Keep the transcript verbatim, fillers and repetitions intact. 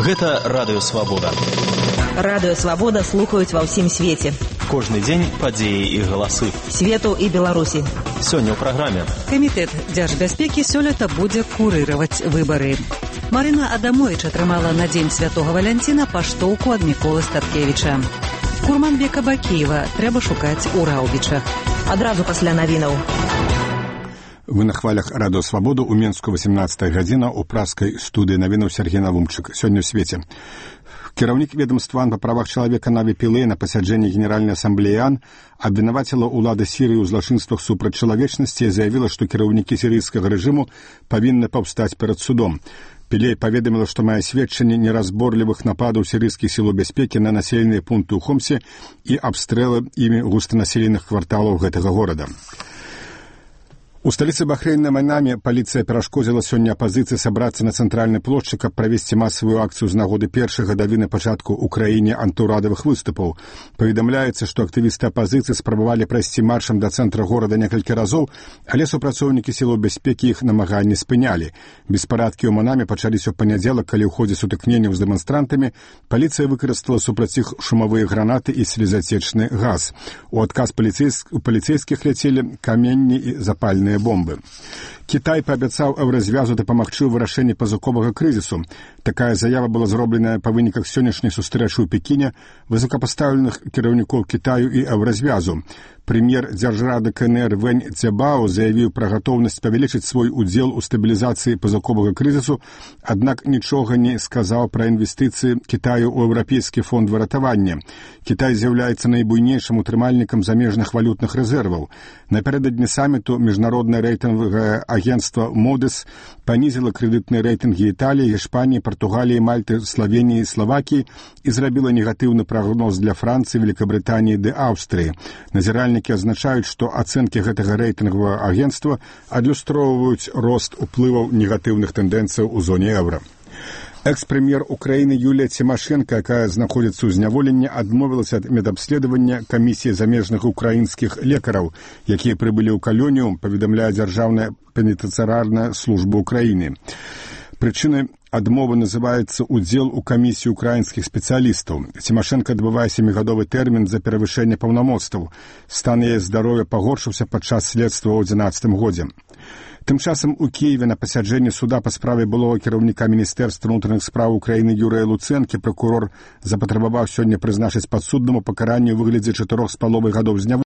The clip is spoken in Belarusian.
Гэта Радыё Свабода. Радыё Свабода слухаюць ва ўсім свеце. Кожны дзень падзеі і галасы. Свету і Беларусі. Сёння ў праграме. Камітэт дзяржбяспекі сёлета будзе курыраваць выбары. Марына Адамович атрымала на дзень Святога Валянціна паштоўку ад Міколы Статкевіча. Курманбека Бакеева трэба шукаць у Раўбічах. Адразу пасля навінаў. Вы на хвалях Радыё Свабоду у Менску восемнадцатая гадзіна у праскай студыі навінаў Сергей Навумчык. Сёння ў свеце. Кіраўнік ведомства па правах чалавека Наві Пілэй на пасяджэнні Генеральнай асамблеі АН абвінаваціла ўлады Сірыі ў злачынствах супраць чалавечнасці і заявіла, што кіраўнікі сірыйскага рэжыму павінны паўстаць перад судом. Пілэй паведаміла, што мае сведчанне неразборлівых нападаў сірыйскіх сілаў бяспекі на населеныя пункты ў Хомсе і абстрэлы імі густанаселеных кварталаў гэтага горада. У сталіцы Бахрэйна Манаме паліцыя перашкодзіла сёння апазіцыі сабрацца на цэнтральнай плошчы, каб правесці масавую акцыю з нагоды першай гадавіны пачатку ў краіне антыўрадавых выступаў. Паведамляецца, што актывісты апазіцыі спрабавалі прайсці маршам да цэнтра горада некалькі разоў, але супрацоўнікі сілаў бяспекі іх намаганні спынялі. Беспарадкі ў Манаме пачаліся ў панядзелак, калі ў ходзе сутыкненняў з дэманстрантамі паліцыя выкарыстала супраць іх шумавыя гранаты і слезацечны газ. У адказ у паліцейскіх ляцелі каменні і запальныя бомбы. Кітай паабяцаў еўразвязу дапамагчы ў вырашэнні пазыковага крызісу. Такая заява была зробленая па выніках сённяшняй сустрэчы ў Пекіне высокапастаўленых кіраўнікоў Кітаю і еўразвязу. Прэм'ер дзяржрады КНР Вэнь Цзябао заявіў пра гатоўнасць павялічыць свой удзел у стабілізацыі пазыковага крызісу, аднак нічога не сказаў пра інвестыцыі Кітаю ў еўрапейскі фонд выратавання. Кітай з'яўляецца найбуйнейшым утрымальнікам замежных валютных рэзерваў. Напярэдадні саміту міжнароднае рэйтынгавае агентства Модис панізіла крэдытныя рэйтынгі Італіі, Іспаніі, Партугаліі, Мальты, Славеніі і Славакіі і зрабіла негатыўны прагноз для Францыі, Великабрытаніі ды Аўстрыі. Назіральнікі адзначаюць, што ацэнкі гэтага рэйтынгавага агентства адлюстроўваюць рост уплываў негатыўных тэндэнцыяў у зоне еўра. Экс-прэм'ер Украіны Юлія Цімашэнка, якая знаходзіцца ў зняволенні, адмовілася ад медабследавання камісіі замежных украінскіх лекараў, якія прыбылі ў калонію, паведамляе дзяржаўная пенітэнцыярная служба Украіны. Прычынай адмовы называецца удзел у камісіі украінскіх спецыялістаў. Цімашэнка адбывае сямігадовы тэрмін за перавышэнне паўнамоцтваў. Стан яе здароўя пагоршыўся падчас следства ў адзінаццатым годзе. Тым часам у Кіеве на пасяджэнні суда па справе былога кіраўніка Міністэрства ўнутраных спраў Украіны Юрыя Луцэнкі пракурор запатрабаваў сёння прызначыць падсуднаму пакаранне ў выглядзе чатырох з паловай гадоў зняволення.